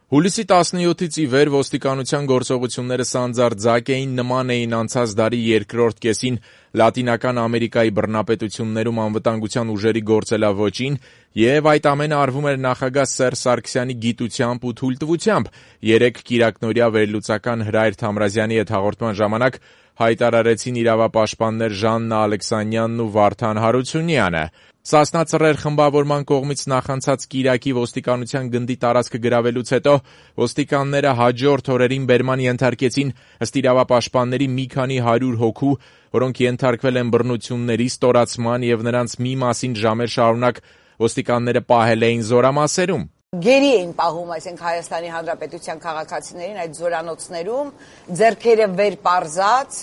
Հուլիսի 17-ից ի վեր ոստիկանության գործողությունները սանձարձակ էին, նման էին անցած դարի երկրորդ կեսին Լատինական Ամերիկայի բռնապետություններում անվտանգության ուժերի գործելավոճին և այդ ամենը արվում էր նախագահ Սերժ Սարգսյանի գիտությամբ ու թույլտվությամբ, երեկ կիրակնօրյա վերլուծական Հրայր Թամրազյանի հետ հաղորդման ժամանակ հայտարարեցին իրավապաշտպաններ Ժաննա Ալեքսանյանն ու Վարդան Հարությունյանը։ Սասնա Ծռեր խմբավորման կողմից նախանցած կիրակի ոստիկանության գնդի տարածքը գրավելուց հետո ոստիկանները հաջորդ օրերին բերման ենթարկեցին ըստ իրավապաշտպանների մի քանի 100 հոգու, որոնք ենթարկվել են բռնությունների, ստորացման և նրանց մի մասին ժամեր շարունակ ոստիկանները պահել էին զորամասերում։ Գերի էին պահում, այսինքն Հայաստանի Հանրապետության քաղաքացիներին այդ զորանոցներում, ձեռքերը վեր պարզած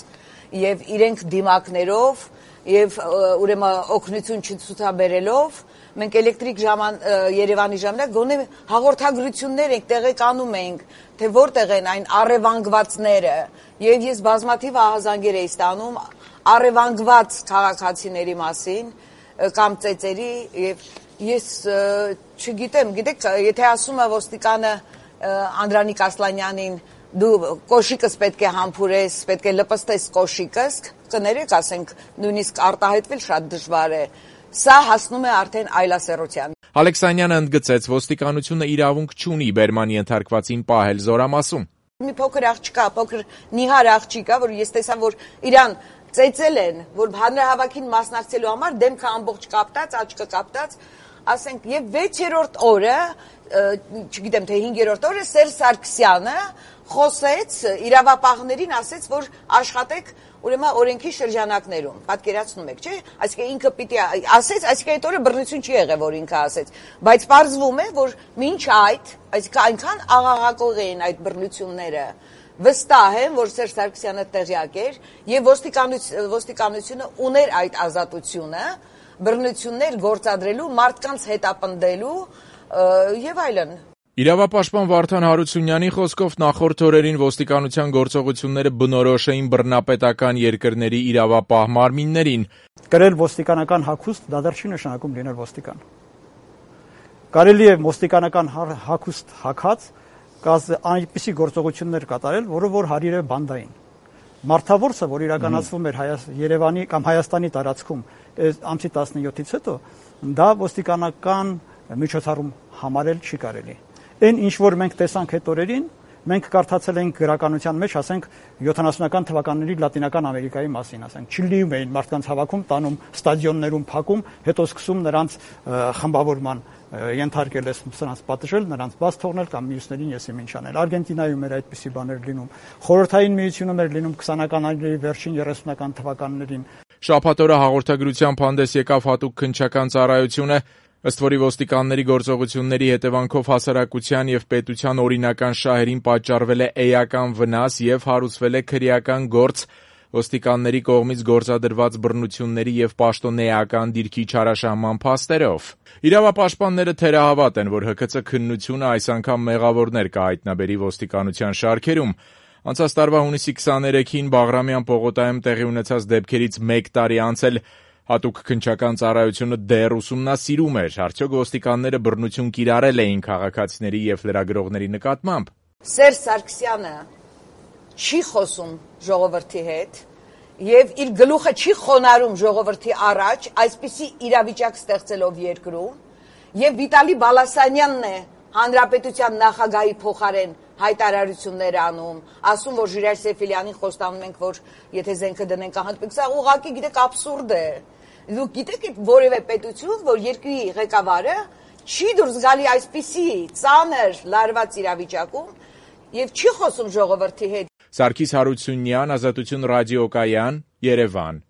եւ իրենք դիմակներով եւ ուրեմն օգնություն չցուցաբերելով մենք էլեկտրիկ Երևանի ժամանակ գոնե հաղորդագրություններ ենք տեղեկանում ենք, թե որտեղ են այն առևանգվածները եւ ես բազմաթիվ ահազանգեր էի ստանում առևանգված քաղաքացիների մասին կամ ծեծերի եւ ես չգիտեմ, գիտեք, եթե ասում է ոստիկանը Անդրանիկ Ասլանյանին դու կոշիկս պետք է համբուրես, պետք է լպստես կոշիկս, կներեք, ասենք, նույնիսկ արտահայտվել շատ դժվար է։ Սա հասնում է արդեն այլասերության։ Ալեքսանյանը ընդգծեց, ոստիկանությունը իրավունք չունի բերման ենթարկվածին պահել զորամասում։ Մի փոքր աղջկա, փոքր նիհար աղջիկա, որ ես տեսա, որ իրան ծեծել են, որ հանրահավաքին մասնակցելու համար դեմքը ամբողջ կապտած, աչքը կապտած, ասենք, եւ 6-րդ օրը, չգիտեմ թե 5-րդ օրը Սերժ Սարգսյանը խոսեց իրավապահներին, ասեց, որ աշխատեք ուրեմն օրենքի շրջանակներում, պատկերացնում եք, չէ՞, այսինքն ինքը պիտի ասեց, այսինքն այդ օրը բռնություն չի եղել, որ ինքը ասեց, բայց պարզվում է, որ մինչ այդ, այսինքն այնքան աղաղակող էին այդ բռնությունները, վստահ եմ, որ Սերժ Սարգսյանը տեղյակ էր եւ ոստիկանությունը ուներ այդ ազատությունը բռնություններ գործադրելու, մարդկանց հետապնդելու եւ այլն։ Իրավապաշտպան Վարդան Հարությունյանի խոսքով նախորդ օրերին ոստիկանության գործողությունները բնորոշ էին բռնապետական երկրների իրավապահ մարմիններին։ Կրել ոստիկանական հագուստ դա դեռ չի նշանակում լինել ոստիկան։ Կարելի է ոստիկանական հագուստ հագած այնպիսի գործողություններ կատարել, որը որ հարիր է բանդային։ Մարդավորը, որ իրականացվում էր Երևանի կամ Հայաստանի տարածքում ամսի 17-ից հետո, դա ոստիկանական միջոցառում համարել չի կարելի։ Այն ինչ որ մենք տեսանք այդ օրերին, մենք կարդացել ենք գրականության մեջ, ասենք 70-ական թվականների Լատինական Ամերիկայի մասին, ասենք Չիլիում էին մարդկանց հավաքում, տանում ստադիոններում փակում, հետո սկսում նրանց խմբավորման ենթարկել ես նրանց պատժել, նրանց բաց թողնել կամ մյուսներին եսի ինչ անել։ Արգենտինայում էր այդպիսի բաներ լինում։ Խորհրդային միությունում էր լինում 20-ականների վերջին 30-ական թվականներին։ Շաբաթ օրը հաղորդագրությամբ հանդես եկավ հատուկ քննչական ծառայությունը, ըստ որի ոստիկանների գործողությունների հետևանքով հասարակության եւ պետության օրինական շահերին պատճառվել է էական վնաս եւ հարուցվել է քրեական գործ ոստիկանների կողմից գործադրված բռնությունների եւ պաշտոնեական դիրքի չարաշահման փաստերով։ Իրավապաշտպանները թերահավատ են, որ ՀՔՑ քննությունը այս անգամ մեղավորներ կհայտնաբերի ոստիկանության շարքերում։ Անցած տարվա հունիսի 23-ին Բաղրամյան պողոտայում տեղի ունեցած դեպքերից 1 տարի անց էլ հատուկ քննչական ծառայությունը դեռ ուսումնասիրում էր, արդյոք ոստիկանները բռնություն կիրառել էին քաղաքացիների եւ լրագրողների նկատմամբ։ Սերժ Սարգսյանը չի խոսում ժողովրդի հետ եւ իր գլուխը չի խոնարհում ժողովրդի առաջ, այսպիսի իրավիճակ ստեղծելով երկրում եւ Վիտալի Բալասանյանն է հանրապետության նախագահի փոխարեն հայտարարություններ անում, ասում, որ Ժիրայր Սեֆիլյանին խոստանում ենք, որ եթե զենքը դնենք ահանտվենք, սա ուղղակի գիտեք աբսուրդ է։ Դուք գիտեք որևէ պետություն, որ երկրի ղեկավարը չի դուրս գալի այսպիսի ծանր լարված իրավիճակում եւ չի խոսում ժողովրդի հետ։ Սարգիս Հարությունյան, Ազատություն ռադիոկայան, Երևան։